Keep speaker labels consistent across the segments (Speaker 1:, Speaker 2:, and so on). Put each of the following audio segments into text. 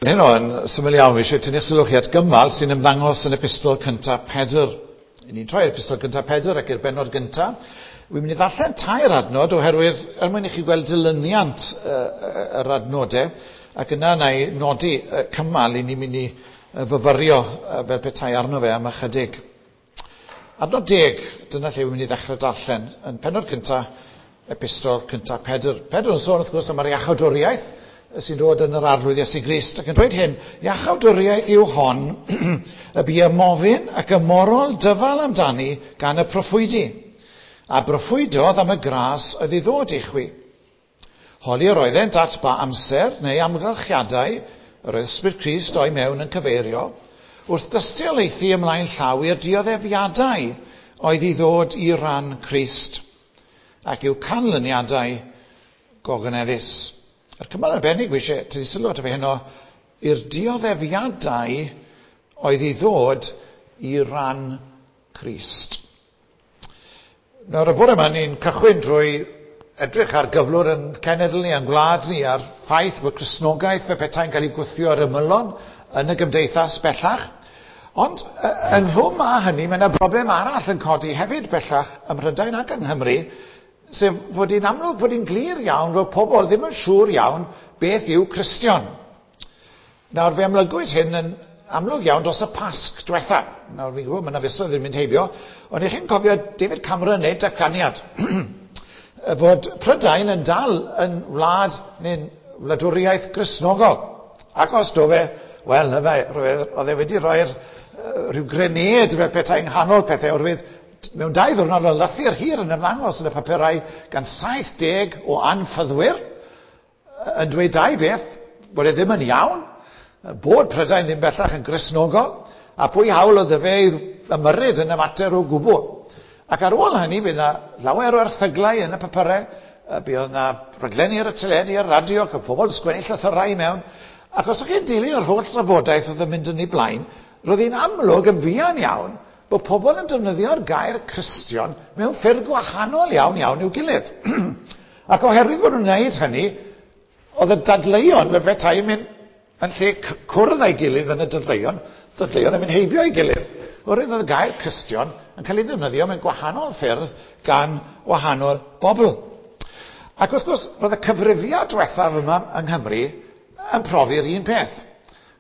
Speaker 1: Heno yn syml iawn, fi eisiau tynnu sylw chi at gymal sy'n ymddangos yn epistol cyntaf Pedr. Ni'n troi epistol cyntaf Pedr ac i'r bennod gyntaf. Wi'n mynd i ddarllen tair adnod oherwydd er mwyn i chi gweld dilyniant yr adnodau, ac yna na i nodi cymal i ni'n mynd i fyfyrio fel petai arno fe am ychydig. Adnod 10, dyna lle wi'n mynd i ddechrau darllen, yn pennod cyntaf, epistol cyntaf Pedr. Pedr yn sôn wrth gwrs am yr iachawdwriaeth sy'n dod yn yr Arglwydd Iesu Grist, ac yn dweud hyn, iachawdwriaeth yw hon y bu ymofyn ac ymorol dyfal amdani gan y proffwydi, a broffwydodd am y gras oedd i ddod i chwi. Holi yr oeddent at ba amser neu amgylchiadau yr oedd Ysbryd Crist o'i mewn yn cyfeirio, wrth dystiolaethu ymlaen llaw i'r dioddefiadau oedd i ddod i ran Crist, ac i'w canlyniadau gogoneddus. A'r cymal arbennig wi eisiau tynnu sylw ato fe heno, i'r dioddefiadau oedd i ddod i ran Crist. Nawr, y bore yma, ni'n cychwyn drwy edrych ar gyflwr yn cenedl ni, yn gwlad ni, a'r ffaith bod Cristnogaeth fe petai'n cael ei gwthio ar ymylon yn y gymdeithas bellach. Ond ynghlwm â hynny, mae yna broblem arall yn codi hefyd bellach ym Mhrydain ac yng Nghymru, sef fod hi'n amlwg fod hi'n glir iawn fod pobl ddim yn siŵr iawn beth yw Cristion. Nawr, fe amlygwyd hyn yn amlwg iawn dros y Pasg diwetha. Nawr, fi'n gwybod, mae yna fisoedd yn mynd heibio, ond i chi'n cofio David Cameron wneud datganiad fod Prydain yn dal yn wlad neu'n wladwriaeth Gristnogol. Ac os do fe, wel, na fe, oedd e wedi rhoi'r rhyw grenêd fel petai yng nghanol pethau, oherwydd mewn 2 ddiwrnod o lythyr hir yn ymddangos yn y papurau gan 70 o anffyddwyr yn dweud dau beth, bod e ddim yn iawn, bod Prydain ddim bellach yn Gristnogol, a pwy hawl oedd fe i ymyrryd yn y mater o gwbl. Ac ar ôl hynny, bydd yna lawer o erthyglau yn y papurau, bydd yna raglenni ar y teledu, ar y radio, ac y pobl yn sgwennu llythyrau i mewn. Ac os ydych chi'n dilyn yr holl drafodaeth oedd yn mynd yn ei blaen, roedd hi'n amlwg yn fuan iawn bod pobl yn defnyddio'r gair Cristion mewn ffyrdd gwahanol iawn iawn i'w gilydd. Ac oherwydd bod nhw'n gwneud hynny, oedd y dadleuon fel petai yn mynd yn lle cwrdd â'i gilydd yn y dadleuon, dadleuon yn mynd heibio ei gilydd. Oherwydd oedd y gair Cristion yn cael ei ddefnyddio mewn gwahanol ffyrdd gan wahanol bobl. Ac wrth gwrs, roedd y cyfrifiad diwethaf yma yng Nghymru yn profi'r un peth.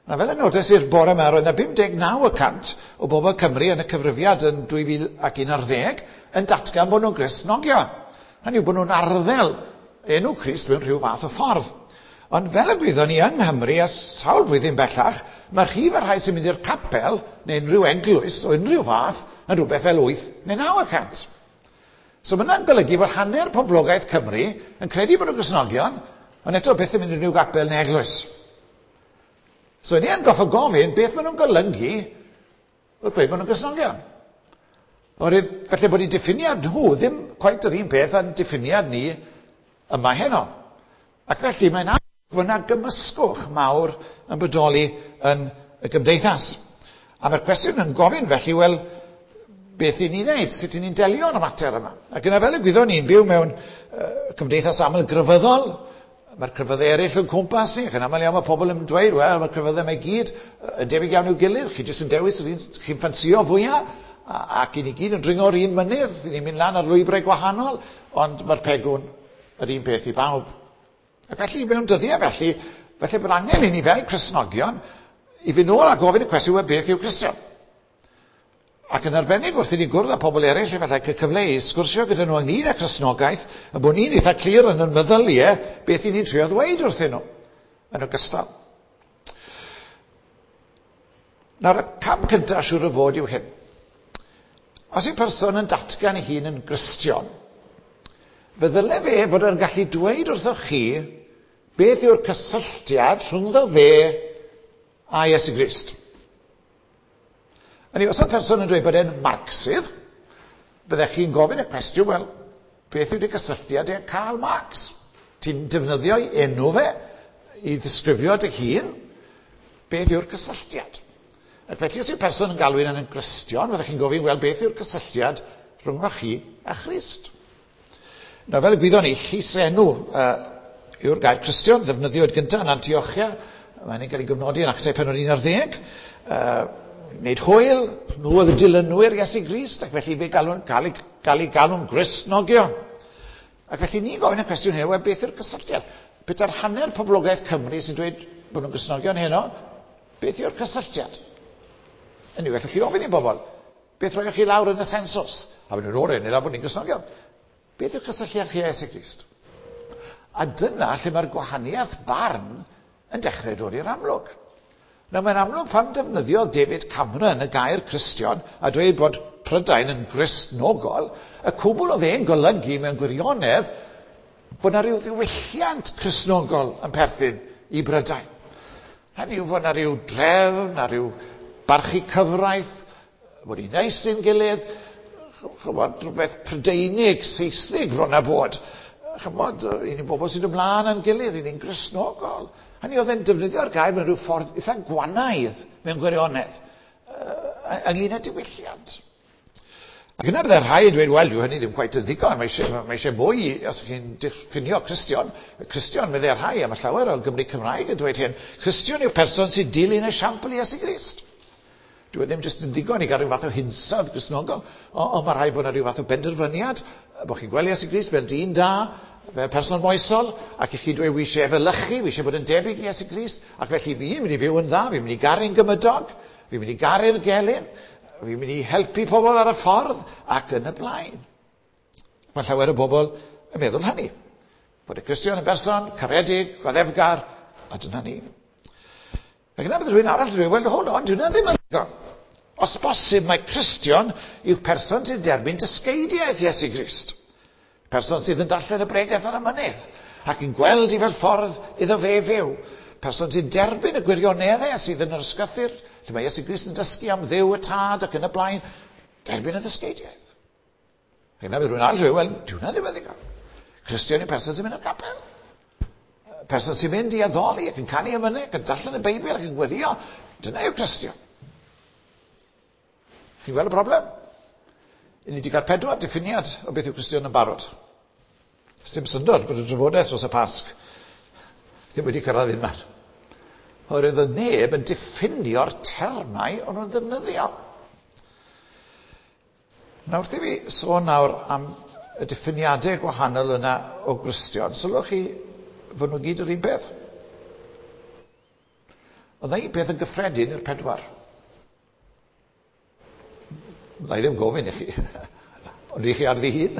Speaker 1: Na, fel y nodes i'r bore yma, roedd yna 59% o bobl Cymru yn y cyfrifiad yn 2011 yn datgan bod nhw'n Gristnogion. Hynny yw bod nhw'n arddel enw Crist mewn rhyw fath o ffordd. Ond fel y gwyddon ni yng Nghymru a sawl blwyddyn bellach, mae rhif y rhai sy'n mynd i'r capel neu unrhyw eglwys o unrhyw fath yn rhywbeth fel 8 neu 9%. So mae hynna'n golygu bod hanner poblogaeth Cymru yn credu bod nhw'n Gristnogion, ond eto byth yn mynd i unrhyw gapel neu eglwys. So ni yn goffo gofyn beth maen nhw'n golygu wrth ddweud bod nhw'n Gristnogion. Oherwydd falle bod eu diffiniad nhw ddim cweit yr un peth â'n diffiniad ni yma heno. Ac felly mae'n amlwg fod yna gymysgwch mawr yn bodoli yn y gymdeithas. A mae'r cwestiwn yn gofyn felly, wel, beth i ni'n neud? Sut i ni'n delio â'r mater yma? Ac yna fel y gwyddon ni'n byw mewn cymdeithas aml grefyddol, mae'r crefyddau eraill yn cwmpas ni, ac yn aml iawn mae pobl yn dweud, wel, mae'r crefyddau yma i gyd yn debyg iawn i'w gilydd, chi jyst yn dewis yr un chi'n ffansio fwyaf, ac i ni gyd yn dringo'r un mynydd, i ni'n mynd lan ar lwybrau gwahanol, ond mae'r pegwn yr un peth i bawb. Ac felly, mewn dyddiau felly, felly bod angen i ni fel Cristnogion i fynd nôl a gofyn y cwestiwn, wel, beth yw Cristion? Ac yn arbennig wrth i ni gwrdd â pobl eraill, efallai cael cyfle i sgwrsio gyda nhw ynglyn â Cristnogaeth, a bod ni'n eitha clir yn ein meddyliau beth i ni'n trio ddweud wrthyn nhw, yn ogystal. Nawr, y cam cyntaf siŵr o fod yw hyn. Os yw person yn datgan ei hun yn Gristion, fe ddyle fe fod yn gallu dweud wrthoch chi beth yw'r cysylltiad rhyngddo fe a Iesu Grist. Hynny, os oedd person yn dweud bod e'n Marxydd, byddech chi'n gofyn y cwestiwn, wel, beth yw dy gysylltiad e Karl Marx? Ti'n defnyddio ei enw fe i ddisgrifio dy hun? Beth yw'r cysylltiad? Ac felly, os yw person yn galw yn Gristion, fyddech chi'n gofyn, wel, beth yw'r cysylltiad rhwng chi a Christ? Nawr, fel y gwyddon ni, llysenw yw'r gair Cristion, ddefnyddiwyd gyntaf yn Antiochia, Mae'n cael ei gofnodi yn Actau penod 11. Wneud hwyl, nhw oedd y dilynwyr Iesu Grist, ac felly fe galw'n, cael, ei, gael ei galw'n Gristnogion. Ac felly ni gofyn y cwestiwn hyn, wel beth yw'r cysylltiad? Pedair hanner poblogaeth Cymru sy'n dweud bod nhw'n Gristnogion heno, beth yw'r cysylltiad? Yn yw, gallwch chi ofyn i bobl, beth roioch chi lawr yn y sensws? A fy nhw'n o'r enw bod ni'n Gristnogion. Beth yw'r cysylltiad chi â Iesu Grist? A dyna lle mae'r gwahaniaeth barn yn dechrau dod i'r amlwg. Nawr mae'n amlwg pam defnyddiodd David Cameron y gair Cristion a dweud bod Prydain yn Gristnogol, y cwbl oedd e'n golygu mewn gwirionedd bod yna rhyw ddiwylliant Cristnogol yn perthyn i Brydain. Hynny yw fod yna rhyw drefn, na rhyw barchu cyfraith, bod ni'n neis i'n gilydd, chymod, rhywbeth Prydeinig, Seisnig bron a bod. Chymod, i ni'n bobl sy'n ymlaen â'n gilydd, i ni'n Gristnogol. Hynny oedd e'n defnyddio'r gair mewn rhyw ffordd eitha gwanaidd mewn gwirionedd, ynglyn â diwylliant. Ac yna byddai rhai yn dweud, wel, dyw hynny ddim cweit yn ddigon, mae eisiau mwy os ydych chi'n diffinio Cristion. Cristion, meddai rhai, a mae llawer o Gymru Cymraeg yn dweud hyn, Cristion yw'r person sy'n dilyn esiampl Iesu Grist. Dyw e ddim jyst yn ddigon i gael rhyw fath o hinsawdd Gristnogol, ond mae rhaid bod yna rhyw fath o benderfyniad, bod chi'n gweld Iesu Grist fel dyn da, fel person moesol, ac i chi dweud, wi eisiau efelychu, wi eisiau bod yn debyg i Iesu Grist, ac felly fi'n mynd i fyw yn dda, fi'n mynd i garu'n gymydog, fi'n mynd i garu'r gelyn, fi'n mynd i helpu pobl ar y ffordd, ac yn y blaen. Mae llawer o bobl yn meddwl hynny. Bod y Cristion yn berson caredig, goddefgar, a dyna ni. Ac yna bydd rhywun arall yn dweud, wel, hold on, dyw hynna ddim yn ddigon. Os bosib, mae Cristion yw person sy'n derbyn dysgeidiaeth Iesu Grist. Person sydd yn darllen y bregeth ar y mynydd ac yn gweld i fel ffordd iddo fe fyw. Person sy'n derbyn y gwirioneddau sydd yn yr ysgrythur, lle mae Iesu Grist yn dysgu am Dduw y Tad ac yn y blaen, derbyn y ddysgeidiaeth. Ac yna bydd rhywun arall yn dweud, wel, dyw hynna ddim yn ddigon. Cristion yw person sy'n mynd i'r capel. Person sy'n mynd i addoli ac yn canu emynau ac yn darllen y Beibl ac yn gweddio. Dyna yw Cristion. Chi'n gweld y broblem? I ni wedi cael 4 diffiniad o beth yw Cristion yn barod. Dim syndod bod y drafodaeth dros y Pasg ddim wedi cyrraedd unman. Oherwydd oedd neb yn diffinio'r termau o'n nhw'n ddefnyddio. Nawr wrth i fi sôn nawr am y diffiniadau gwahanol yna o Gristion, sylwch chi fod nhw gyd yr un peth. Ond na un peth yn gyffredin i'r 4. Na i ddim gofyn i chi, ond i chi ar ddihun.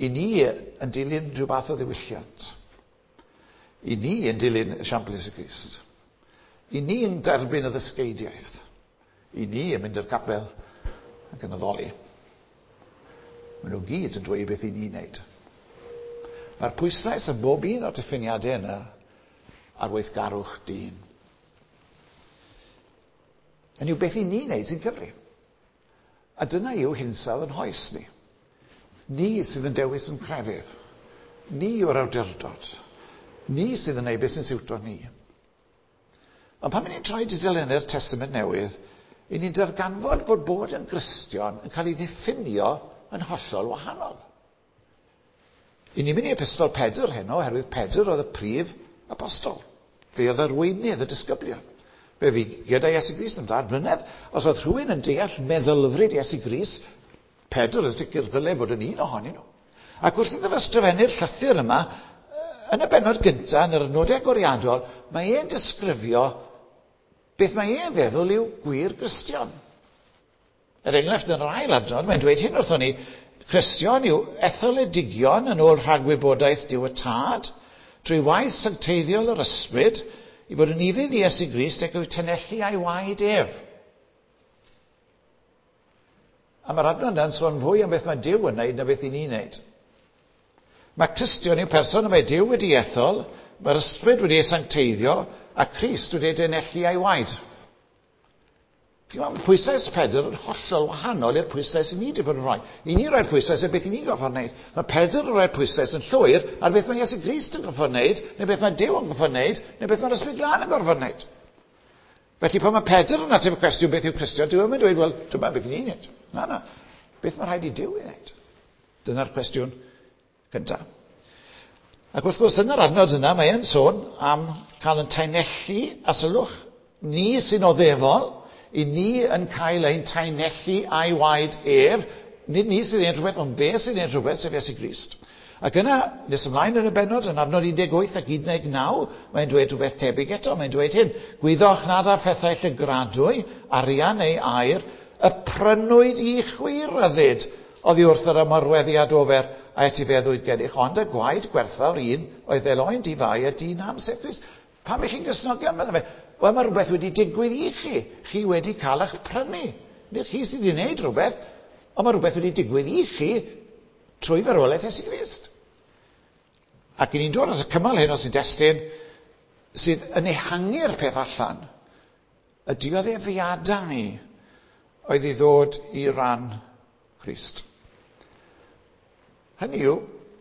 Speaker 1: I ni yn dilyn rhyw fath o ddiwylliant. I ni yn dilyn esiampl Iesu Grist. I ni yn derbyn y ddysgeidiaeth. I ni yn mynd i'r capel ac yn addoli. Maen nhw gyd yn dweud beth i ni'n wneud. Mae'r pwyslais yn bob un o'r diffiniadau yna ar weithgarwch dyn. Yn yw beth i ni'n wneud sy'n cyfri. A dyna yw hinsawdd yn hoes ni. Ni sydd yn dewis yn crefydd. Ni yw'r awdurdod. Ni sydd yn neud beth sy'n siwto ni. Ond pan ni'n troi tudalennau'r Testament Newydd, i ni'n darganfod bod bod yn Gristion yn cael ei ddiffinio yn hollol wahanol. I ni'n mynd i Epistol Pedr heno, oherwydd Pedr oedd y prif apostol. Fe oedd arweinydd y disgyblion. Fe fi gyda Iesu Grist am 3 mlynedd. Os oedd rhywun yn deall meddylfryd Iesu Grist, Pedr yn sicr ddyle fod yn un ohonyn nhw. Ac wrth iddo fe ysgrifennu'r llythyr yma, yn y bennod gyntaf, yn yr adnodau agoriadol, mae e'n disgrifio beth mae e'n feddwl yw gwir Gristion. Er enghraifft, yn yr ail adnod, mae'n dweud hyn wrthon ni, Cristion yw etholedigion yn ôl rhagwybodaeth Duw y Tad, drwy waith sancteiddiol yr ysbryd, i fod yn ufudd i Iesu Grist ac i'w tenellu a'i waed ef. A mae'r adnod yna'n sôn fwy am beth mae Duw yn wneud na beth i ni'n wneud. Mae Cristion yw person y mae Duw wedi ethol, mae'r ysbryd wedi ei sancteiddio, a Crist wedi ei denellu a'i waed. Mae pwyslais Pedr yn hollol wahanol i'r pwyslais i ni wedi bod yn rhoi. I ni roi'r pwyslais ar beth i ni'n gorfod wneud. Mae Pedr yn rhoi'r pwyslais yn llwyr ar beth mae Iesu Grist yn gorfod wneud, neu beth mae Duw yn gorfod wneud, neu beth mae'r Ysbryd Glân yn gorfod wneud. Felly pan mae Pedr yn ateb y cwestiwn beth yw Cristion, dyw e ddim yn dweud, wel, dyma beth i ni'n wneud. Na, na. Beth mae rhaid i Duw ei wneud? Dyna'r cwestiwn cyntaf. Ac wrth gwrs, yn yr adnod yna, mae e'n sôn am cael yn taenellu, a sylwch, ni sy'n oddefol, i ni yn cael ein taenellu a'i waed ef, nid ni sydd ein rhywbeth, ond fe sydd ein rhywbeth, sef Iesu Grist. Ac yna, nes ymlaen yn y bennod, yn adnod 18 ac 19, mae'n dweud rhywbeth tebyg eto. Mae'n dweud hyn, gwyddoch nad â phethau llygradwy, arian neu aur, y prynwyd i chwi ryddid oddi wrth yr ymarweddiad ofer a etifeddwyd gennych, ond y gwaed gwerthfawr un oedd fel oen di-fai a di-nam, sef Crist. Pam ych chi'n Gristnogion, meddai fe? Wel, mae rhywbeth wedi digwydd i chi. Chi wedi cael eich prynu. Nid chi sydd wedi gwneud rhywbeth, ond mae rhywbeth wedi digwydd i chi trwy farwolaeth Iesu Grist. Ac i ni'n dod at y cymal hyn o sy'n destun sydd yn ehangu'r peth allan, y dioddefiadau oedd i ddod i ran Crist. Hynny yw,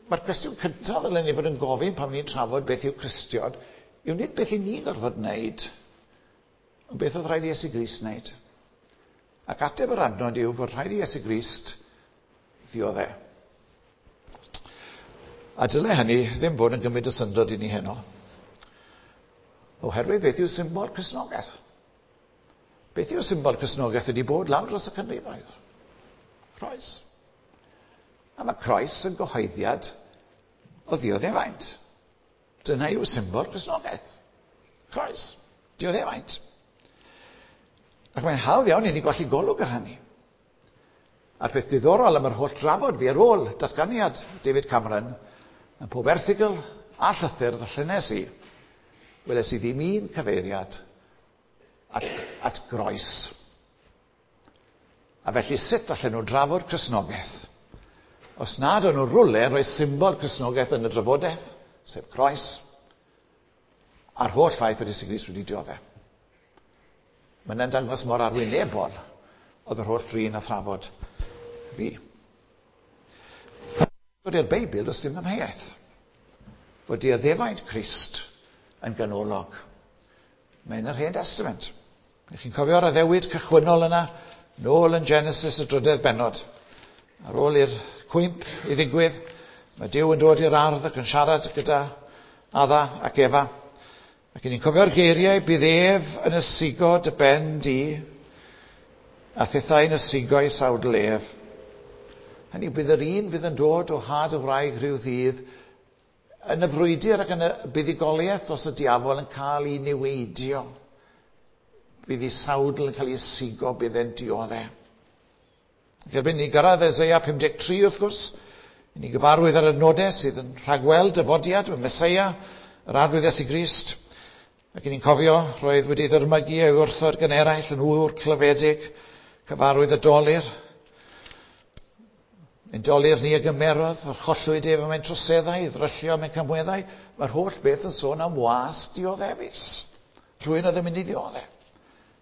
Speaker 1: mae'r cwestiwn cyntaf ddylen ni fod yn gofyn pan ni'n trafod beth yw Cristion, yw nid beth i ni gorfod wneud, ond beth oedd rhaid i Iesu Grist wneud. Ac ateb yr adnod yw bod rhaid i Iesu Grist ddiodde. A dyle hynny ddim fod yn gymryd o syndod i ni heno. Oherwydd beth yw symbol Cristnogaeth? Beth yw symbol Cristnogaeth wedi bod lawr dros y canrifoedd? Croes. A mae croes yn gyhoeddiad o ddioddefaint. Dyna yw symbol Cristnogaeth. Croes. Dioddefaint. Ac mae'n hawdd iawn i ni golli golwg ar hynny. A'r peth diddorol am yr holl drafod fi ar ôl datganiad David Cameron, yn pob erthygl a llythyr ddarllenes i, weles i ddim un cyfeiriad at groes. A felly sut allan nhw drafod Cristnogaeth? Os nad o'n nhw rwle yn rhoi symbol Cristnogaeth yn y drafodaeth, sef croes, a'r holl ffaith fod Iesu Grist wedi dioddef. Mae'n dangos mor arwynebol oedd yr holl drin a thrafod fi. Bod i'r Beibl, does dim amheuaeth. Fod dioddefaint Crist yn ganolog. Mae'n yr Hen Testament. Ych chi'n cofio'r addewid cychwynnol yna, nôl yn Genesis y drydedd bennod. Ar ôl i'r cwymp i ddigwydd, mae Duw yn dod i'r ardd ac yn siarad gyda Adda ac Efa. Ac ni'n cofio'r geiriau, bydd ef yn ysigo dy ben di, a thithau yn ysigo i sawdl ef. Hynny yw, bydd yr un fydd yn dod o had y wraig rhyw ddydd yn y frwydr ac yn y buddugoliaeth dros y diafol yn cael ei niweidio. Bydd ei sawdl yn cael ei ysigo, bydd e'n dioddef. Ac erbyn ni gyrraedd Eseia 53 wrth gwrs, i ni gyfarwydd ar y nodau sydd yn rhagweld dyfodiad y Meseia, yr Arglwydd Iesu Grist. Ac i ni'n cofio, roedd wedi ddyrmygu ei wrthod gan eraill yn ŵr clyfedig, cyfarwydd y dolur. Ein dolur ni a gymerodd, yr chollwyd ef am ein troseddau, i ddryllio am ein camweddau. Mae'r holl beth yn sôn am was dioddefus. Rhywun oedd yn mynd i ddioddef.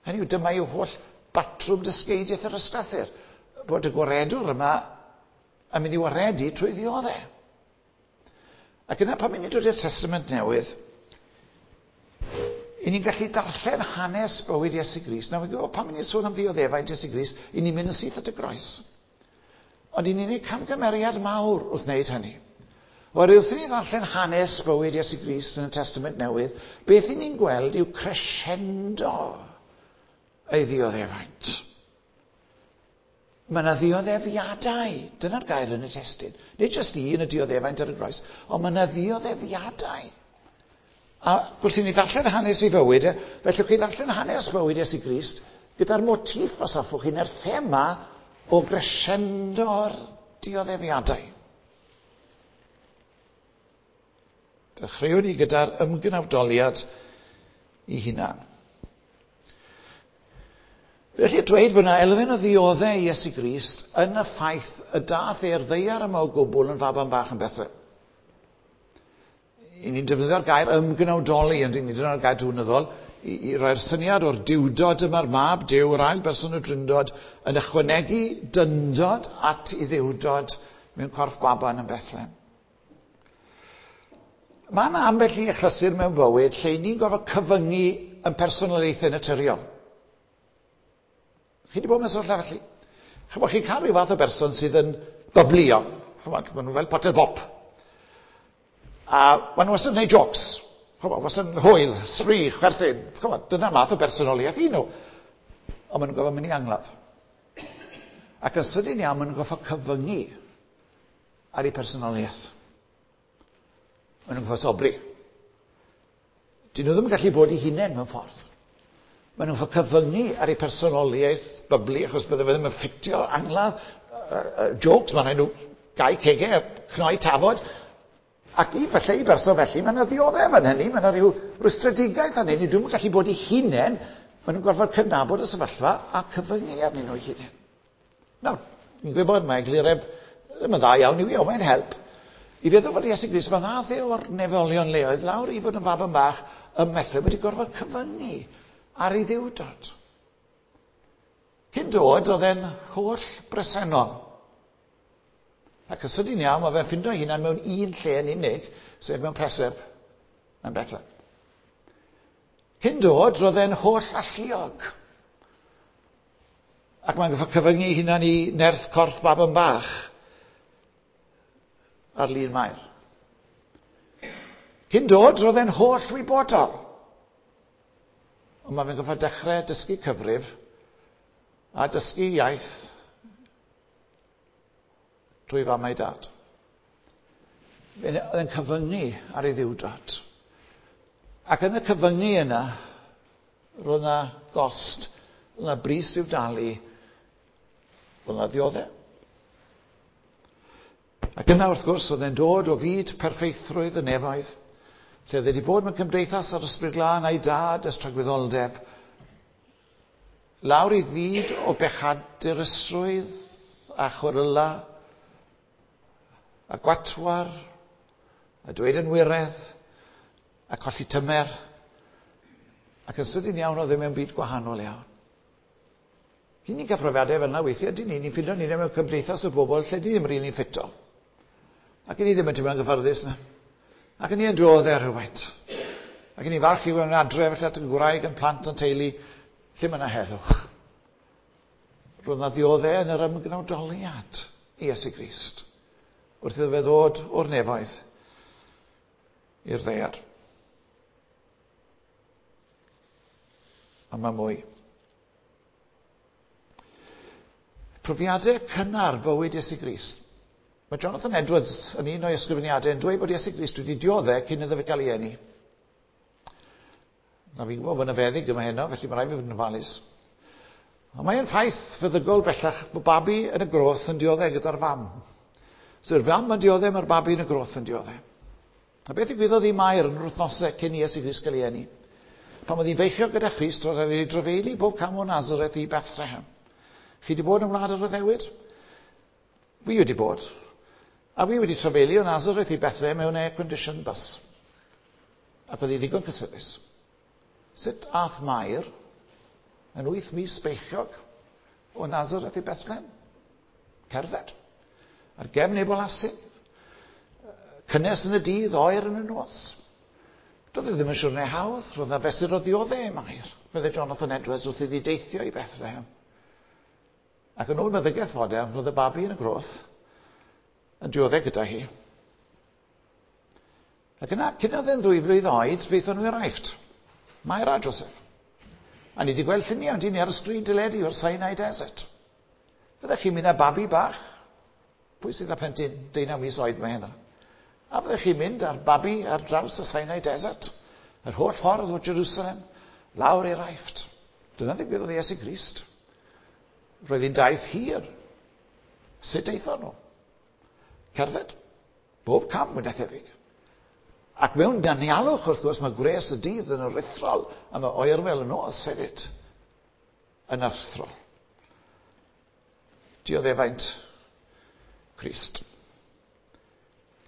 Speaker 1: Hynny yw, dyma yw holl batrwm dysgeidiaeth yr ysgrythur. Bod y gwaredwr yma yn mynd i waredu trwy ddioddef. Ac yna pan ni'n dod i'r Testament Newydd, i ni'n gallu darllen hanes bywyd Iesu Grist. Nawr, fi'n gwybod pan ni'n sôn am ddioddefaint Iesu Grist, i ni'n mynd yn syth at y groes. Ond i ni'n gwneud camgymeriad mawr wrth wneud hynny. Oherwydd wrth i ni ddarllen hanes bywyd Iesu Grist yn y Testament Newydd, beth i ni'n gweld yw crescendo ei ddioddefaint. Mae yna ddioddefiadau. Dyna'r gair yn y testun. Nid jyst un y dioddefaint ar y groes, ond mae yna ddioddefiadau. A wrth i ni ddarllen hanes ei fywyd, felly chi ddarllen hanes bywyd Iesu Grist gyda'r motif, os hoffwch chi, neu'r thema o grescendo'r dioddefiadau. Dechreuwn ni gyda'r ymgnawdoliad i hunan. Felly dweud bod yna elfen o ddioddau i Iesu Grist yn y ffaith y dath e'r ddaear yma o gwbl yn faban bach yn Bethlehem. I ni'n defnyddio'r gair ymgnawdoli, ond ni'n defnyddio'r gair diwynyddol, i roi'r syniad o'r diwdod yma'r mab Duw, yr ail berson o Drindod, yn ychwanegu dyndod at ei ddiwdod mewn corff baban yn Bethlehem. Mae yna ambell i achlysur mewn bywyd lle ni'n gorfod cyfyngu yn personoliaethau naturiol. Chi wedi bod mewn sefyllfa felly? Chymod, chi'n cael rhyw fath o berson sydd yn byblio. Chymod, maen nhw fel potel bop. A maen nhw wastad yn gwneud jokes. Chymod, wastad yn hwyl, sbri, chwerthin. Chymod, dyna'r math o bersonoliaeth i nhw. Ond maen nhw'n gorfod mynd i angladd. Ac yn sydyn iawn, maen nhw'n gorfod cyfyngu ar eu personoliaeth. Maen nhw'n gorfod sobri. Dyn nhw ddim yn gallu bod eu hunain mewn ffordd. Maen nhw'n gorfod cyfyngu ar eu personoliaeth bubbly, achos bydde fe ddim yn ffitio angladd, jokes, mae'n rhaid nhw gau cegau, cnoi tafod. Ac i falle i berson felly, mae yna ddioddef yn hynny, mae yna rhyw rwystredigaeth yn hynny, dwi'n gallu bod eu hunain, maen nhw'n gorfod cydnabod y sefyllfa a cyfyngu arnyn nhw eu hunain. Nawr, fi'n gwybod mae eglureb ddim yn dda iawn i fi, ond mae'n help. I feddwl fod Iesu Grist, mae ddath e o'r nefolion leoedd lawr i fod yn fab yn bach ym Methlehem wedi gorfod cyfyngu ar ei ddiwdod. Cyn dod, oedd e'n holl bresennol. Ac yn sydyn iawn, mae fe'n ffindo ei hunan mewn un lle yn unig, sef mewn preseb yn Bethlehem. Cyn dod, roedd e'n holl alluog. Ac mae'n gorfod cyfyngu ei hunan i nerth corff bab yn bach ar lun Mair. Cyn dod, roedd e'n holl wybodol. Ond mae fe'n gorfod dechrau dysgu cyfrif a dysgu iaith drwy fam a'i dad. Oedd e'n cyfyngu ar ei ddiwdod. Ac yn y cyfyngu yna, roedd yna gost, roedd yna bris i'w dalu, roedd yna ddioddef. Ac yna, wrth gwrs, oedd e'n dod o fyd perffeithrwydd y nefoedd, lle oedd e wedi bod mewn cymdeithas ar Ysbryd Glân a'i dad ers tragwyddoldeb, lawr i fyd o bechadurusrwydd a chweryla a gwatwar a dweud yn wiredd a colli tymer, ac yn sydyn iawn oedd e mewn byd gwahanol iawn. Ry'n ni'n cael profiadau fel yna weithiau, dyn ni, ni'n ffindo ni mewn cymdeithas o bobl lle ni ddim rili'n ffito. Ac ni ddim yn teimlo'n gyfforddus na. Ac ni yn dioddef rhywfaint. Ac ni'n falch i fod yn adre felly at y gwraig yn plant yn teulu, lle mae yna heddwch. Roedd yna ddioddef yn yr ymgnawdoliad i Iesu Grist, wrth iddo fe ddod o'r nefoedd i'r ddaear. A mae mwy. Profiadau cynnar bywyd Iesu Grist. Mae Jonathan Edwards yn un o'i ysgrifeniadau yn dweud bod Iesu Grist wedi dioddef cyn iddo fe gael ei eni. Na, fi'n gwybod bod yna feddyg yma heno, felly mae rhaid fi fod yn ofalus. Ond mae'n ffaith feddygol bellach bod babi yn y groth yn dioddef gyda'r fam. So yw'r fam yn dioddef, mae'r babi yn y groth yn dioddef. A beth ddigwyddodd i Mair yn yr wythnosau cyn i Iesu Grist gael ei eni? Pan oedd hi'n beichiog gyda Christ, roedd e'n ei drafeili bob cam o Nazareth i Bethlehem. Chi wedi bod yn wlad yr addewid? Fi wedi bod. A fi wedi trafeili o Nazareth i Bethlehem mewn air-conditioned bus. Ac oedd hi ddigon cysurus. Sut ath Mair yn 8 mis beichiog o Nazareth i Bethlehem? Cerdded. Ar gefn ei bolasyn. Cynnes yn y dydd, oer yn y nos. Doedd e ddim yn siwrne hawdd, roedd yna fesur o ddioddef i Mair, meddai Jonathan Edwards wrth iddi deithio i Bethlehem. Ac yn ôl meddygaeth fodern, roedd y babi yn y groth yn dioddef gyda hi. Ac yna, cyn oedd e'n 2 flwydd oed, feithon nhw i'r Aifft. Mair a Joseph. A ni wedi gweld lluniau, ond ni ar y sgrin deledu o'r Sinai Desert. Fyddech chi'n mynd â babi bach? Pwy sydd â plentyn 19 mis oed mae hynna? A fyddech chi'n mynd â'r babi ar draws y Sinai Desert, yr holl ffordd o Jerusalem, lawr i'r Aifft. Dyna ddigwyddodd i Iesu Grist. Roedd hi'n daith hir. Sut aethon nhw? Cerdded. Bob cam wedi thebyg. Ac mewn danialwch, wrth gwrs, mae gwres y dydd yn aruthrol, a mae oerfel y nos hefyd yn aruthrol. Dioddefaint Crist.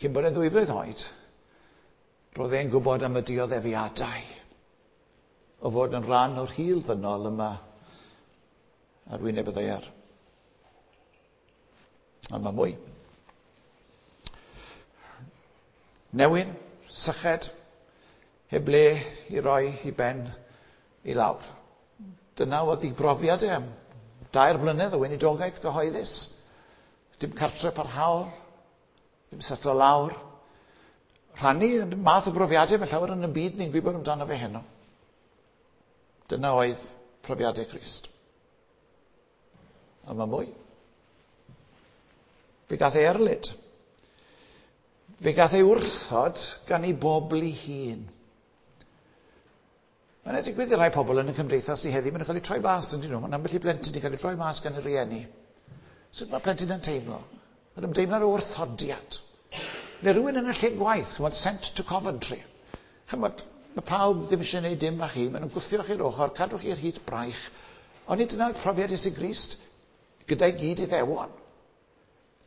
Speaker 1: Cyn bod e'n 2 flwydd oed, roedd e'n gwybod am y dioddefiadau o fod yn rhan o'r hil ddynol yma ar wyneb y ddaear. Ond mae mwy. Newyn, syched, heb le i roi i ben i lawr. Dyna oedd ei brofiad e am 4 blynedd o weinidogaeth gyhoeddus. Dim cartre parhaol, dim setlo lawr. Rhannu y math o brofiadau mae llawer yn y byd ni'n gwybod amdano fe heno. Dyna oedd profiadau Crist. A mae mwy. Fe gath ei erlid. Fe gath ei wrthod gan ei bobl ei hun. Mae'n digwydd i rai pobl yn y cymdeithas ni heddi, maen nhw'n cael eu troi mas yn dyn nhw. Mae'n ambell i blentyn wedi cael ei troi mas gan y rieni. Sut mae plentyn yn teimlo? Mae'n ymdeimlad o wrthodiad. Neu rhywun yn y lle gwaith, chymod, sent to Coventry. Chymod, mae pawb ddim eisiau gwneud dim â chi, maen nhw'n gwthio chi'r ochr, cadw chi'r hyd braich. Ond nid dyna profiad Iesu Grist gyda'i gyd iddewon.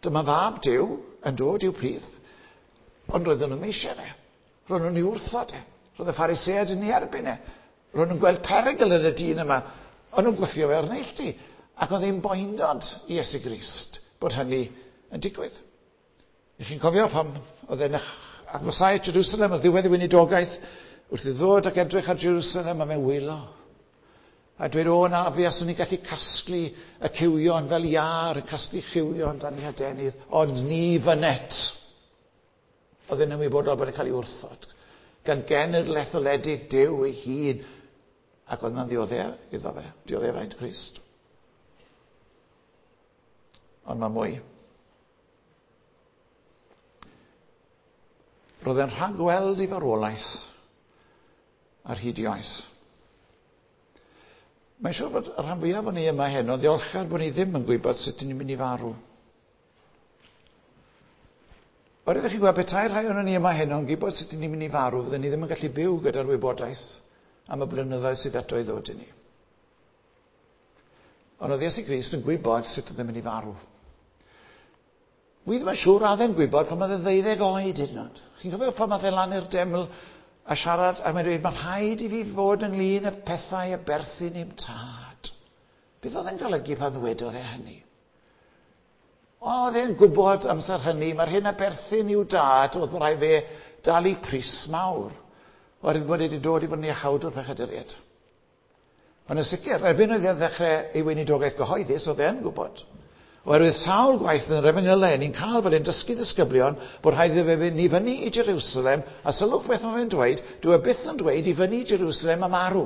Speaker 1: Dyma fab Duw yn dod i'w plith, ond roedden nhw'n eisiau fe. Roedden nhw'n ei wrthod e. Roedd y Phariseaid yn ei erbyn e. Roedden nhw'n gweld perygl yn y dyn yma. Ond nhw'n gwthio fe o'r neilltu. Ac oedd e'n boendod i Iesu Grist bod hynny yn digwydd. I chi'n cofio pam oedd e'n agosau at Jerusalem, oedd ddiwedd ei weinidogaeth, wrth i ddod ac edrych ar Jerusalem a fe'n wylo. A dweud, o na, fi aswn i'n gallu casglu y cywion fel iâr yn casglu cywion dan ei hadenydd, ond ni fynet. Oedd e'n ymwybodol bod e'n cael ei wrthod. Gan genedl etholedig Duw ei hun. Ac oedd yna'n ddioddef iddo fe, dioddefaint Crist. Ond mae mwy. Roedd e'n rhagweld i farwolaeth ar hyd i oes. Mae'n siŵr bod y rhan fwyaf o'n ni yma heno ddiolchgar bod ni ddim yn gwybod sut ni'n mynd i farw. Oherwydd chi'n gwybod, petai rhai o'n ni yma heno yn gwybod sut ni'n mynd i farw, fydden ni ddim yn gallu byw gyda'r wybodaeth am y blynyddoedd sydd eto i ddod i ni. Ond oedd Iesu Grist yn gwybod sut oedd e'n mynd i farw. Wi ddim yn siŵr a e'n gwybod pan oedd e'n 12 oed hyd yn oed. Chi'n cofio pan oedd e lan i'r deml a siarad, a mae'n dweud, mae'n rhaid i fi fod ynglyn y pethau y berthyn i'm tad. Beth oedd e'n golygu pan ddwedodd e hynny? Oedd e'n gwybod amser hynny, mae'r hyn a berthyn i'w dad, oedd bod rhaid fe dalu pris mawr. Oherwydd bod e wedi dod i fod yn iachawdwr pechaduriaid. Ond yn sicr, erbyn oedd e'n ddechrau ei weinidogaeth gyhoeddus, oedd e'n gwybod. Oherwydd sawl gwaith yn yr efengylau, ni'n cael bod e'n dysgu ddisgyblion bod rhaid iddo fe fynd i fyny i Jerusalem, a sylwch beth mae fe'n dweud, dyw e byth yn dweud i fyny i Jerusalem am marw.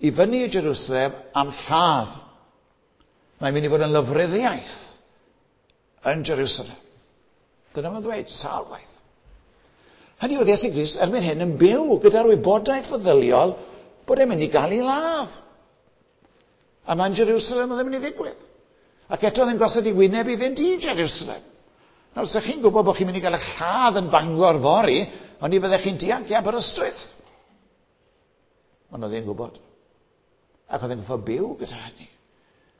Speaker 1: I fyny i Jerusalem am lladd. Mae'n mynd i fod yn lofruddiaeth yn Jerusalem. Dyna mae'n dweud, sawl gwaith. Hynny oedd Iesu Grist erbyn hyn yn byw gyda'r wybodaeth feddyliol bod e'n mynd i gael ei ladd. A mae'n Jerusalem oedd e'n mynd i ddigwydd. Ac eto oedd e'n gosod i wyneb i fynd i Jerusalem. Nawr, os ydych chi'n gwybod bod chi'n mynd i gael eich lladd yn Bangor fory, ond i fyddech chi'n dianc i Aberystwyth. Ond oedd e'n gwybod. Ac oedd e'n gwybod byw gyda hynny.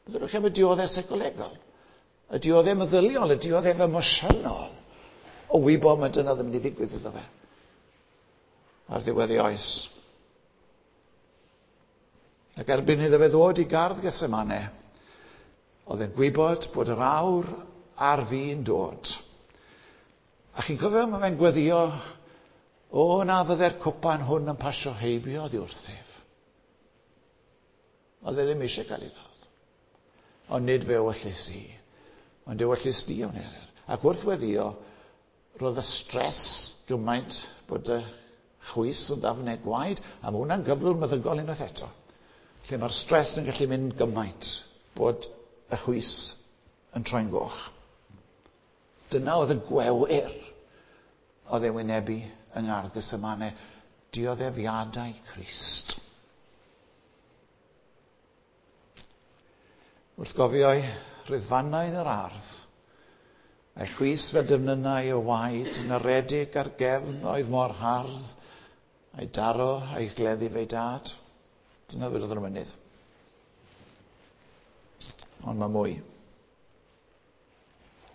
Speaker 1: Byddwch chi am y dioddef seicolegol, y dioddef meddyliol, y dioddef emosiynol, o wybod mae dyna ddim mynd i ddigwydd iddo fe. Ar ddiwedd ei oes. Ac erbyn iddo fe ddod i gardd Gethsemane, oedd e'n gwybod bod yr awr ar fin dod. A chi'n cofio mae fe'n gweddio, o na fydde'r cwpan hwn yn pasio heibio oddi wrthyf. Oedd e ddim eisiau cael ei ladd. Ond nid fe ewyllys i, ond ewyllys di o'n eryr. Ac wrth weddio, roedd y stres gymaint bod y chwys yn ddafnau gwaed, a mae hwnna'n gyflwr meddygol unwaith eto. Lle mae'r stres yn gallu mynd gymaint bod y chwys yn troi'n goch. Dyna oedd y gwewyr oedd e'n wynebu yng Ngardd Gethsemane, dioddefiadau Crist. Wrth gofio'i rhyddfannau yn yr ardd, a'i chwys fel defnynnau o waed yn aredig ar gefn oedd mor hardd, a'i daro a'i gleddu fe'i dad. Dyna ddwedodd yr mynydd. Ond mae mwy.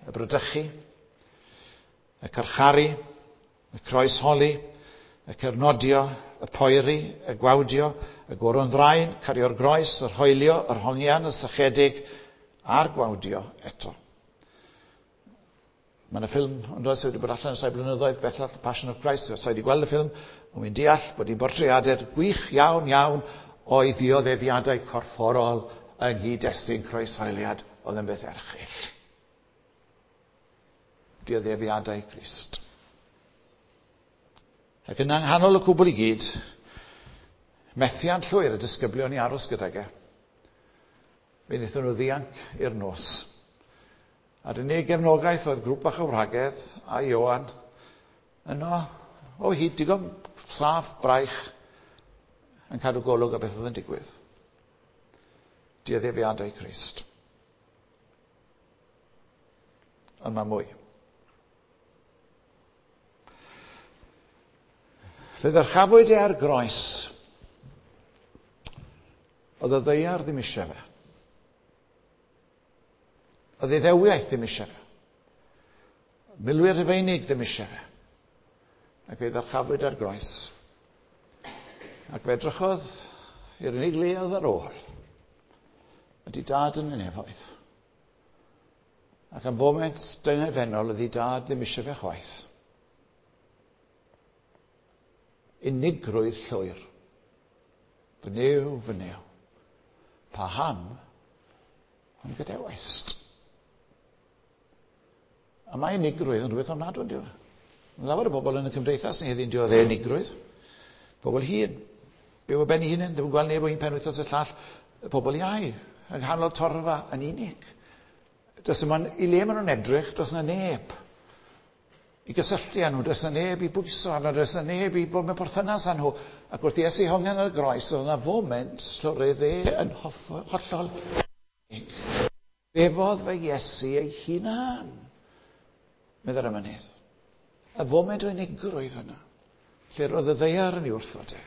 Speaker 1: Y brydychu, y carcharu, y croesholi, y cernodio, y poeri, y gwawdio, y goron ddraen, cario'r groes, yr hoelio, yr hongian, y sychedig, a'r gwawdio eto. Mae yna ffilm ond oes wedi bod allan ers rhai blynyddoedd, Bethel, The Passion of Christ, os wedi gweld y ffilm, ond wy'n deall bod hi'n bortreadau gwych iawn iawn o'i ddioddefiadau corfforol yng nghyd-destun croeshoeliad oedd yn beth erchyll. Dioddefiadau Crist. Ac yna nghanol y cwbl i gyd, methiant llwyr y disgyblion i aros gydag e. Fe wnaethon nhw ddianc i'r nos. A'r unig gefnogaeth oedd grŵp bach o wragedd a Ioan yno o hyd digon saff braich yn cadw golwg ar beth oedd yn digwydd. Dioddefiadau Crist. Ond mae mwy. Fe ddyrchafwyd e ar groes. Oedd y ddaear ddim eisiau fe. Oedd ei ddewiaeth ddim eisiau fe. Milwyr Rhufeinig ddim eisiau fe. Ac fe ddyrchafwyd ar groes. Ac fe edrychodd i'r unig le oedd ar ôl. Ydy dad yn y nefoedd. Ac am foment dyngedfennol oedd ei dad ddim eisiau fe chwaith. Unigrwydd llwyr. Fy Nuw, fy Nuw. Paham yn gadawaist? A mae unigrwydd yn rhywbeth ofnadwy, yn dyw? Mae lawer o bobl yn y cymdeithas ni heddi'n dioddef unigrwydd. Pobl hŷn, byw ar ben eu hunain, ddim yn gweld neb o un penwythnos i'r llall. Pobl iau, yng nghanol torfa yn unig. Does yma, i le maen nhw'n edrych, does yna neb i gysylltu â nhw, does yna neb i bwyso arno, does yna neb i bod mewn perthynas â nhw. Ac wrth i Iesu hongian ar y groes, oedd yna foment lle roedd e yn hollol unig. Befodd fe Iesu ei hunan, meddai'r emynydd. Y foment o unigrwydd yna, lle roedd y ddaear yn ei wrthod e.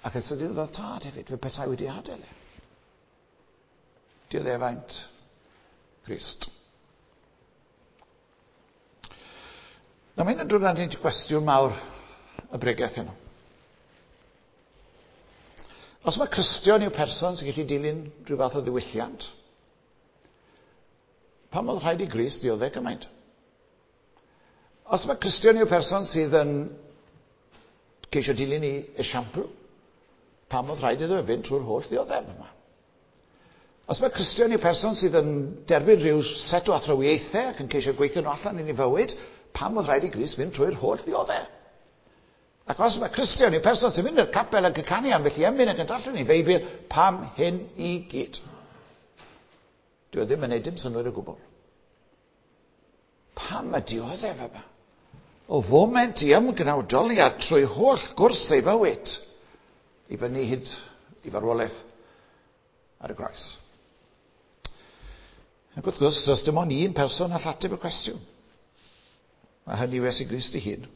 Speaker 1: Ac yn sydyn oedd tad hefyd, fe petai wedi adael e. Dioddefaint Crist. Nawr mae hyn yn dod â ni gwestiwn mawr y bregeth heno. Os mae Cristion yw person sy'n gallu dilyn rhyw fath o ddiwylliant, pam oedd rhaid i Grist dioddef gymaint? Os mae Cristion yw person sydd yn ceisio dilyn ei esiampl, pam oedd rhaid iddo fe fynd trwy'r holl ddioddef yma? Os mae Cristion yw person sydd yn derbyn rhyw set o athrawiaethau ac yn ceisio gweithio nhw allan yn ei fywyd, pam oedd rhaid i Grist fynd trwy'r holl ddioddef? Ac os mae Cristion yw person sy'n mynd i'r capel ac yn canu ambell i emyn ac yn darllen ei Feibl, pam hyn i gyd? Dyw e ddim yn neud dim synnwyr o gwbl. Pam y dioddef yma? O foment i ymgnawdoliad trwy holl gwrs ei fywyd i fyny hyd i farwolaeth ar y groes. Ac wrth gwrs, does dim ond un person all ateb y cwestiwn. A hynny yw Iesu Grist ei hun.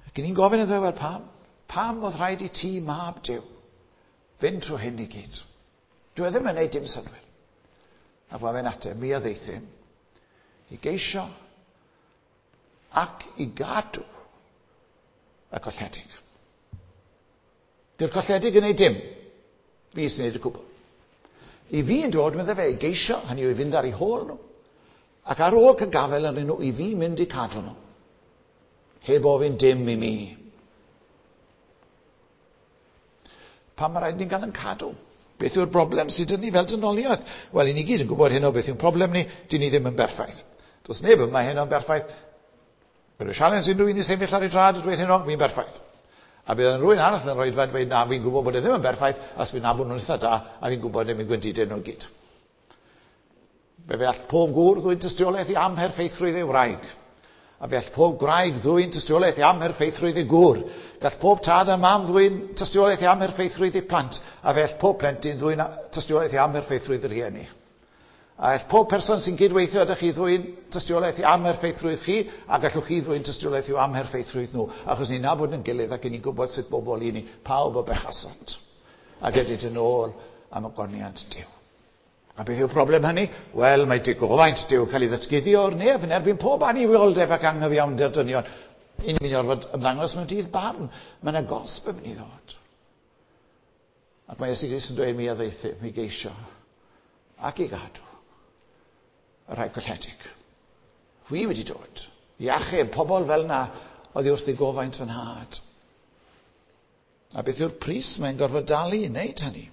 Speaker 1: Ac ni'n gofyn iddo fe, wel pam? Pam oedd rhaid i ti, mab Duw, fynd trwy hyn i gyd? Dyw e ddim yn neud dim synnwyr. A fo fe'n ateb, mi a ddeithum i geisio ac i gadw y colledig. Dyw'r colledig yn neud dim. Fi sy'n neud y cwbl. I fi yn dod, meddai fe, i geisio, hynny yw i fynd ar eu hôl nhw. Ac ar ôl cael gafael arnyn nhw, i fi mynd i cadw nhw. Heb ofyn dim i mi. Pam mae rhaid ni'n gael yn cadw? Beth yw'r broblem sydd 'da ni fel dynoliaeth? Wel, i ni gyd yn gwybod heno beth yw'n problem ni, dyn ni ddim yn berffaith. Does neb yma heno'n berffaith. Bydd y sialens unrhyw un i sefyll ar ei draed a dweud heno, fi'n berffaith. A bydd rhywun arall yn rhoi dweud, dweud, na, fi'n gwybod bod e ddim yn berffaith, as fi'n nabod nhw'n eitha da, a fi'n gwybod ddim yn gwendidau nhw gyd. Fe all pob gŵr ddwyn tystiolaeth i amherffeithrwydd ei wraig. A fe all pob gwraig ddwyn tystiolaeth i amherffeithrwydd ei gŵr. Gall pob tad a mam ddwyn tystiolaeth i amherffeithrwydd ei plant. A fe all pob plentyn ddwyn tystiolaeth i amherffeithrwydd y rhieni. A all pob person sy'n cydweithio â chi ddwyn tystiolaeth i amherffeithrwydd chi, a gallwch chi ddwyn tystiolaeth i'w amherffeithrwydd nhw, achos ni'n nabod yn gilydd ac ni'n gwybod sut bobl i ni, pawb o bechasant. Ac edrych yn ôl am ogoniant Duw. A beth yw'r broblem hynny? Wel, mae digofaint Duw cael ei ddatguddio o'r nef yn erbyn pob annuwioldeb ac anghyfiawnder dynion. I ni'n mynd i orfod ymddangos mewn dydd barn. Mae yna gosb yn mynd i ddod. Ac mae Iesu Grist yn dweud mi a ddeithum, mi geisio ac i gadw y rhai colledig. Wi wedi dod i achub pobl fel yna oddi wrth ddigofaint fy nhad. A beth yw'r pris mae'n gorfod dalu i wneud hynny?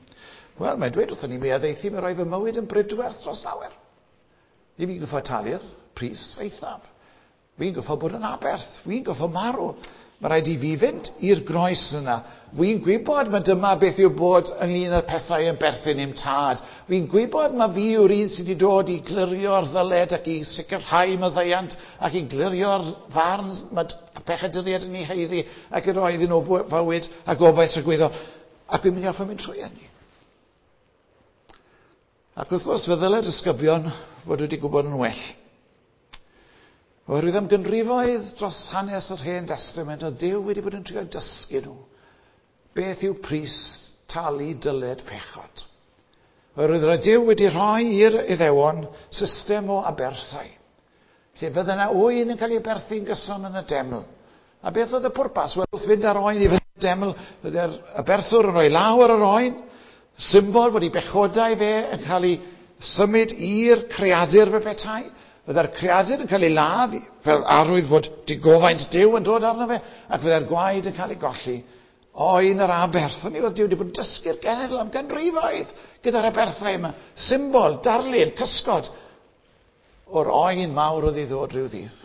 Speaker 1: Wel, mae'n dweud wrthon ni, mi a ddeithum i roi fy mywyd yn brydwerth dros lawer. I fi gorfod talu'r pris eithaf. Fi'n goffo bod yn aberth. Fi'n goffo marw. Mae rhaid i fi fynd i'r groes yna. Fi'n gwybod mae dyma beth yw bod ynglyn â'r pethau yn berthyn i'm tad. Fi'n gwybod mae fi yw'r un sydd wedi dod i glirio'r ddyled ac i sicrhau maddeuant ac i glirio'r farn mae pechaduriaid yn ei haeddu ac i roi iddyn nhw fywyd a gobaith tragwyddol. Ac fi'n mynd i orfod mynd trwy hynny. Ac wrth gwrs, fe ddylai'r disgyblion fod wedi gwybod yn well. Oherwydd am ganrifoedd dros hanes yr Hen Destament, oedd Duw wedi bod yn trio dysgu nhw beth yw pris talu dyled pechod. Oherwydd roedd Duw wedi rhoi i'r Iddewon system o aberthau, lle fydde yna oen yn cael ei aberthu'n gyson yn y deml. A beth oedd y pwrpas? Wel, wrth fynd â'r oen i fynd i'r deml, fydde'r aberthwr yn rhoi law ar yr oen, symbol fod ei bechodau fe yn cael ei symud i'r creadur fe petai. Fydde'r creadur yn cael ei ladd fel arwydd fod digofaint Duw yn dod arno fe, ac fydde'r gwaed yn cael ei golli. Oen yr aberth. Hynny oedd Duw wedi bod yn dysgu'r genedl am ganrifoedd gyda'r aberthau yma. Symbol, darlun, cysgod o'r oen mawr oedd i ddod rhyw ddydd.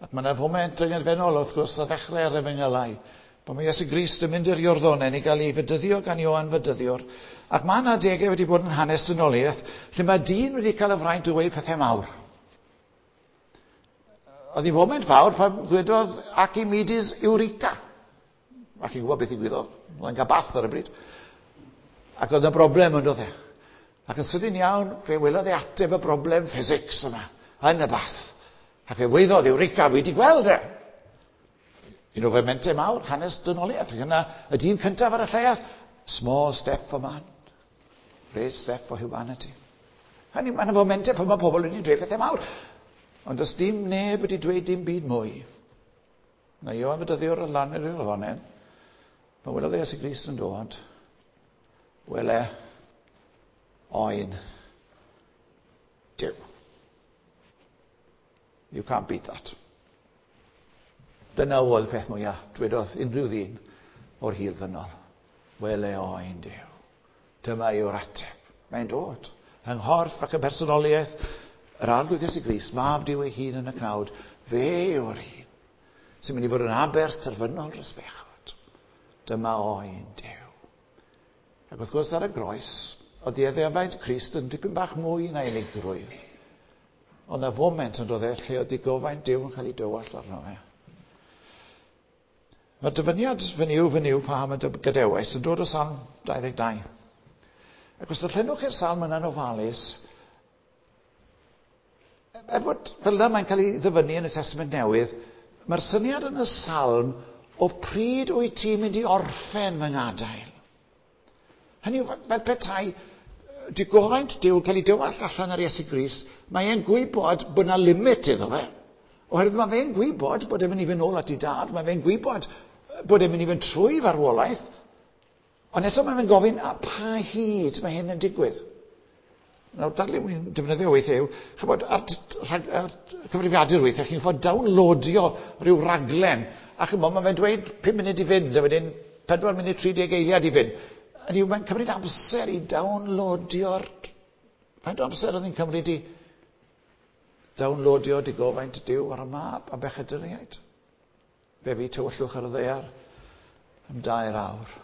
Speaker 1: Ac mae yna foment dyngedfennol wrth gwrs ar ddechrau'r efengylau, pan mae Iesu Grist yn mynd i'r Iorddonen i gael ei fedyddio gan Ioan Fedyddiwr. Ac mae yna adegau wedi bod yn hanes dynoliaeth lle mae dyn wedi cael y fraint o weud pethau mawr. Oedd hi foment fawr pan ddwedodd Archimedes Eureka. A chi'n gwybod beth ddigwyddodd. Oedd e'n cael bath ar y bryd. Ac oedd yna broblem yn dod e. Ac yn sydyn iawn, fe welodd e ateb y broblem physics yma, yn y bath. Ac fe weiddodd Eureka, fi wedi gweld e. Un o fomentau mawr, hanes dynoliaeth. Ac yna, y dyn cyntaf ar y lleuad, small step for man, great step for humanity. Hynny, mae yna fomentau pan mae pobl wedi dweud pethau mawr. Ond does dim neb wedi dweud dim byd mwy. Na Ioan Fedyddiwr ar lan yr Iorddonen, pan welodd Iesu Grist yn dod, wele oen Duw. You can't beat that. Dyna oedd y peth mwyaf, dwedodd unrhyw ddyn o'r hil ddynol. Wele oen Duw. Dyma yw'r ateb. Mae'n dod. Yng nghorff ac yn personoliaeth, yr Arglwydd Iesu Grist, mab Duw ei hun yn y cnawd, fe yw'r un sy'n mynd i fod yn aberth terfynol dros bechod. Dyma oen Duw. Ac wrth gwrs ar y groes, oedd dioddefaint Crist yn dipyn bach mwy na unigrwydd. Ond na foment yn dod e lle oedd digofaint Duw yn cael ei dywallt arno fe. Mae'r dyfyniad fy Nuw, fy Nuw, paham y gadewais yn dod o Salm 22. Ac os darllenwch chi'r salm yna'n ofalus, er bod fel yna mae'n cael ei ddyfynnu yn y Testament Newydd, mae'r syniad yn y salm o pryd wyt ti'n mynd i orffen fy ngadael. Hynny yw, fel petai digofaint Duw yn cael ei dywallt allan ar Iesu Grist, mae e'n gwybod bod yna limit iddo fe. Oherwydd mae fe'n gwybod bod e'n mynd i fynd nôl at ei dad, mae fe'n gwybod bod e'n mynd i fynd trwy farwolaeth, ond eto mae fe'n gofyn, a pa hyd mae hyn yn digwydd? Nawr, darlun wy'n defnyddio weithiau yw, chybod, ar, rhag, ar cyfrifiadur weithiau, chi'n fod downloadio rhyw raglen, a chybod, mae fe'n dweud 5 munud i fynd, a wedyn 4 munud 30 eiliad i fynd. Hynny yw, mae'n cymryd amser i downloadio'r... Faint o amser oedd hi'n cymryd i downloadio digofaint Duw ar y mab a bechaduriaid? Fe fu tywyllwch ar y ddaear am 2 awr.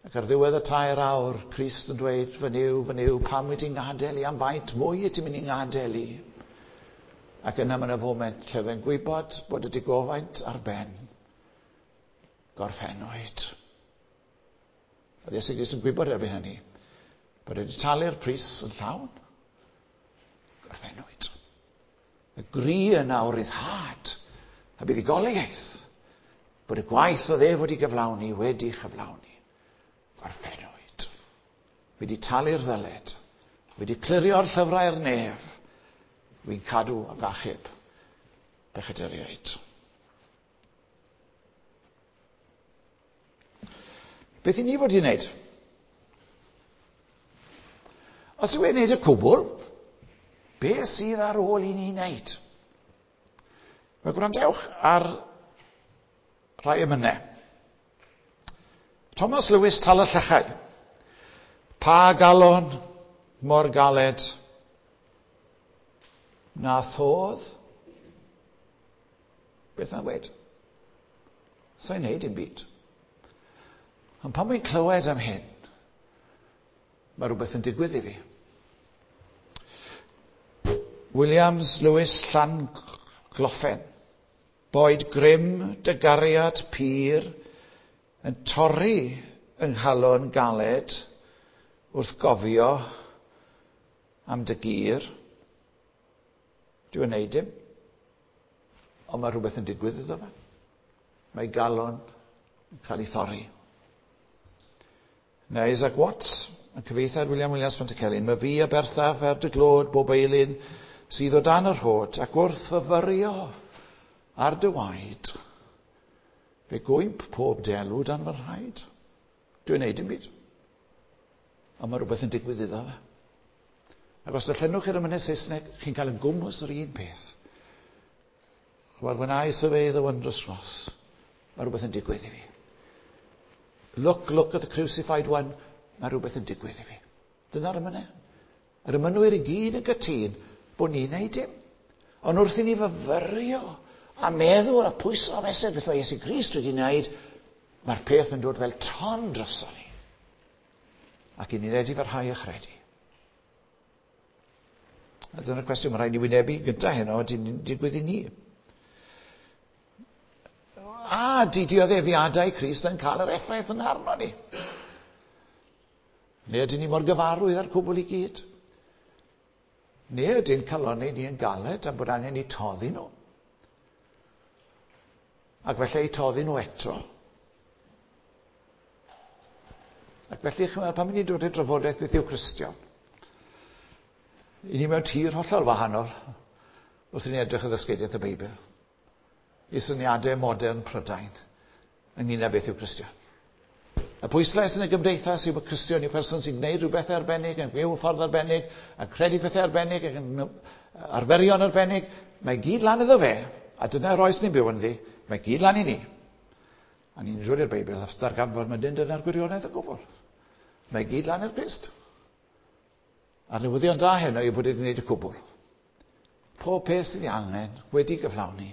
Speaker 1: Ac ar ddiwedd y 3 awr, Crist yn dweud, fy Nuw, fy Nuw, pam wyt ti'n ngadael i? Am faint mwy wyt ti'n mynd i ngadael i? Ac yna mae yna foment lle fe'n gwybod bod y digofaint ar ben. Gorffennwyd. Oedd Iesu Grist yn gwybod erbyn hynny bod wedi talu'r pris yn llawn. Gorffennwyd. Y gri yna o ryddhad a buddugoliaeth bod y gwaith oedd ef wedi gyflawni wedi chyflawni. Gorffennwyd. Wedi talu'r ddyled. Wedi clirio'r llyfrau'r nef. Wy'n cadw ac achub pechaduriaid. Beth i ni fod i wneud? Os yw e'n wneud y cwbl, beth sydd ar ôl i ni wneud? Wel, gwrandewch ar rai emynau. Thomas Lewis Tal y Llechau. Pa galon mor galed na thodd Beth mae'n weud? Sa'n neud dim byd. Ond pan wy'n clywed am hyn, mae rhywbeth yn digwydd i fi. Williams Lewis Llangloffen. Boed grym dy gariad pur yn torri yng nghalon galed wrth gofio am dy gyr. Dwi'n neud dim. Ond mae rhywbeth yn digwydd iddo fe. Mae galon yn cael ei thorri. Neu Isaac Watts, yn cyfieithiad William Williams Pantycelyn, mae fi a berthaf er dy glod bob eilun sydd o dan yr rhod ac wrth fyfyrio ar dy waed, fe gwymp pob delw dan fy rhaid. Dwi'n neud dim byd. Ond mae rhywbeth yn digwydd iddo fe. Ac os darllenwch chi'r emynau Saesneg, chi'n cael yn gwmws yr un peth. Chymod, when I survey the wondrous cross, mae rhywbeth yn digwydd i fi. Look, look at the crucified one, mae rhywbeth yn digwydd i fi. Dyna'r emynau. Yr emynwyr i gyd yn gytûn bod ni'n neud dim. Ond wrth i ni fyfyrio a meddwl a pwyso a mesur beth mae Iesu Grist wedi wneud, mae'r peth yn dod fel ton droso ni. Ac i ni'n edifarhau a chredu. A dyna'r cwestiwn mae rhaid ni wynebu gyda heno, di'n digwydd i ni. A di dioddefiadau Crist yn cael yr effaith yn arno ni. Neu ydyn ni mor gyfarwydd â'r cwbl i gyd? Neu ydyn calonnau ni yn galed am bod angen i toddi nhw? Ac felly eu toddi nhw eto. Ac felly, chymod, pan ni'n dod i'r drafodaeth beth yw Cristion, i ni mewn tir hollol wahanol wrth i ni edrych ar ddysgeidiaeth y Beibl, i syniadau modern Prydain ynglyn â beth yw Cristion. Y pwyslais yn y gymdeithas yw bod Cristion yw person sy'n gwneud rhywbeth arbennig, yn byw ffordd arbennig, yn credu pethau arbennig, ac yn arferion arbennig. Mae gyd lan iddo fe, a dyna'r oes ni'n byw ynddi, mae gyd lan i ni. A ni'n dod i'r Beibl a darganfod mae dim dyna'r gwirionedd o gwbl. Mae gyd lan i'r Crist. A'r newyddion da heno yw bod wedi gwneud y cwbl. Pob peth sydd ei angen wedi gyflawni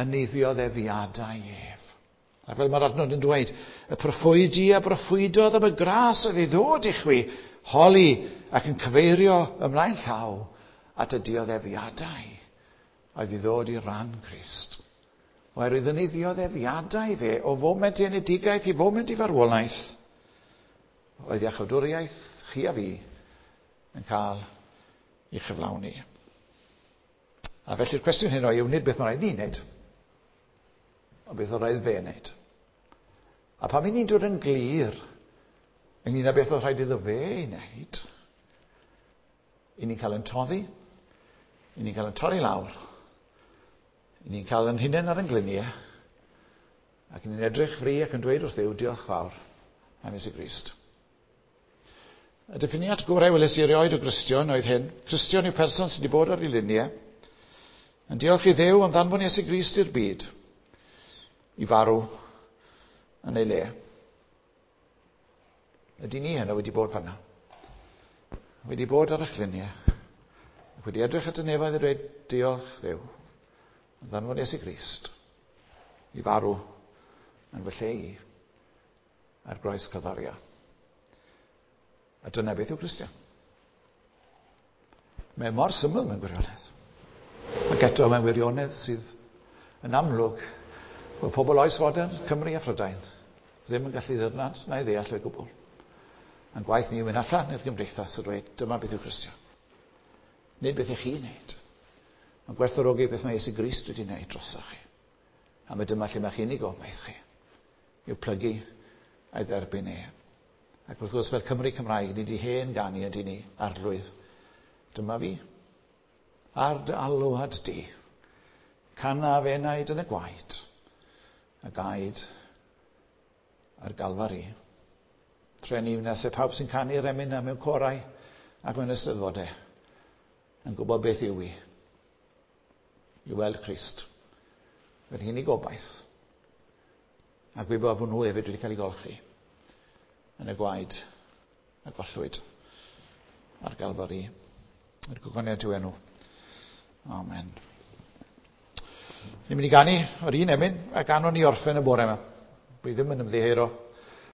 Speaker 1: yn ei ddioddefiadau ef. A fel mae'r adnod yn dweud, y proffwydi a broffwydodd am y gras oedd ei ddod i chwi, holi ac yn cyfeirio ymlaen llaw at y dioddefiadau oedd i ddod i ran Crist. Oherwydd yn ei ddioddefiadau fe, o foment i enedigaeth i foment i farwolaeth, oedd iachawdwriaeth chi a fi yn cael ei chyflawni. A felly'r cwestiwn hyn yw nid beth mae rhaid ni wneud, ond beth oedd rhaid fe wneud. A pan ni'n dod yn glir ynglyn â beth oedd rhaid iddo fe ei wneud, i ni'n cael yn toddi, i ni'n cael yn torri lawr, i ni'n cael yn hunain ar yn gliniau, ac i ni'n edrych fri ac yn dweud wrth Dduw, diolch fawr am Iesu Grist. Y diffiniad gorau weles i erioed o Gristion oedd hyn. Cristion yw person sydd wedi bod ar ei luniau, yn diolch i Dduw am ddanfon Iesu Grist i'r byd, i farw yn ei le. Ydy ni heno wedi bod fanna? Wedi bod ar eich lluniau, ac wedi edrych at y nefoedd a dweud, diolch Dduw, am ddanfon Iesu Grist i farw yn fy lle i ar groes Calfaria. A dyna beth yw Cristion. Mae mor syml mewn gwirionedd. Ac eto mewn wirionedd sydd yn amlwg bod pobl oes fodern, Cymru a Phrydain, ddim yn gallu ddirnad na'i ddeall o'i gwbl. A'n gwaith ni yw mynd allan i'r gymdeithas a dweud, dyma beth yw Cristion. Nid beth ych chi'n neud. Mae'n gwerthfawrogi beth mae Iesu Grist wedi wneud drosoch chi. A mae dyma lle mae chi'n ei gobaith chi. Yw plygu a'i dderbyn e. Ac wrth gwrs, fel Cymru Cymraeg, ni wedi hen ganu ydy ni, arlwydd. Dyma fi. Ar dy alwad di. Canaf enaid yn y gwaed. A gaed ar Galfari. Treni wnes e pawb sy'n canu'r emyn yna mewn corau ac mewn eisteddfodau yn gwybod beth yw i. I weld Crist. Fel hyn i gobaith. A gwybod bod nhw hefyd wedi cael ei golchi yn y gwaed a gollwyd ar Galfari. Yr gogoniant yw enw. Amen. Ni'n mynd i ganu yr un emyn a ganon ni orffen y bore yma. Wi ddim yn ymddiheuro.